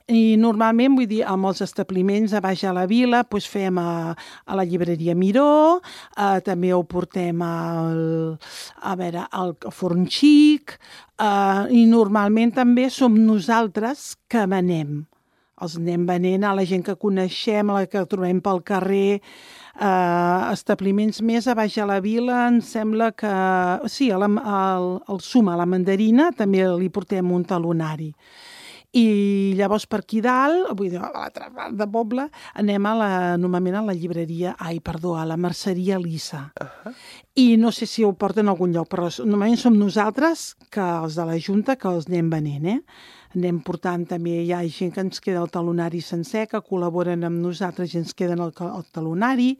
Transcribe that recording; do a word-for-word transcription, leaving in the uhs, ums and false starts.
I normalment, vull dir, amb els establiments a baix a la vila, doncs fem a, a la llibreria Miró, eh, també ho portem al, a veure, al Forn Xic, eh, i normalment també som nosaltres que venem. Els anem venent a la gent que coneixem, a la que trobem pel carrer, eh, establiments més a baix a la vila, em sembla que... Sí, al, al, al Suma, a la Mandarina, també li portem un talonari. I llavors per aquí dalt, vull dir, a l'altra part de poble, anem a la, normalment a la llibreria, ai, perdó, a la merceria Lissa. Uh-huh. I no sé si ho porten a algun lloc, però normalment som nosaltres, que els de la Junta, que els anem venent, eh? Anem portant també, hi ha gent que ens queda el talonari sencer, que col·laboren amb nosaltres i ens queden el, el talonari.